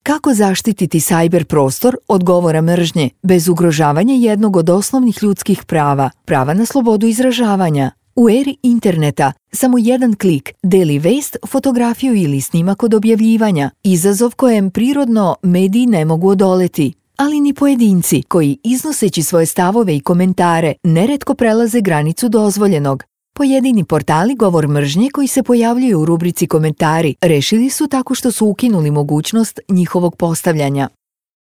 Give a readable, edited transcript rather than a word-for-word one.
Kako zaštititi sajber prostor od govora mržnje bez ugrožavanja jednog od osnovnih ljudskih prava, prava na slobodu izražavanja? U eri interneta samo jedan klik deli vest, fotografiju ili snimak od objavljivanja, izazov kojem prirodno mediji ne mogu odoleti. Ali ni pojedinci koji, iznoseći svoje stavove i komentare, neretko prelaze granicu dozvoljenog. Pojedini portali govor mržnje koji se pojavljuju u rubrici komentari rešili su tako što su ukinuli mogućnost njihovog postavljanja.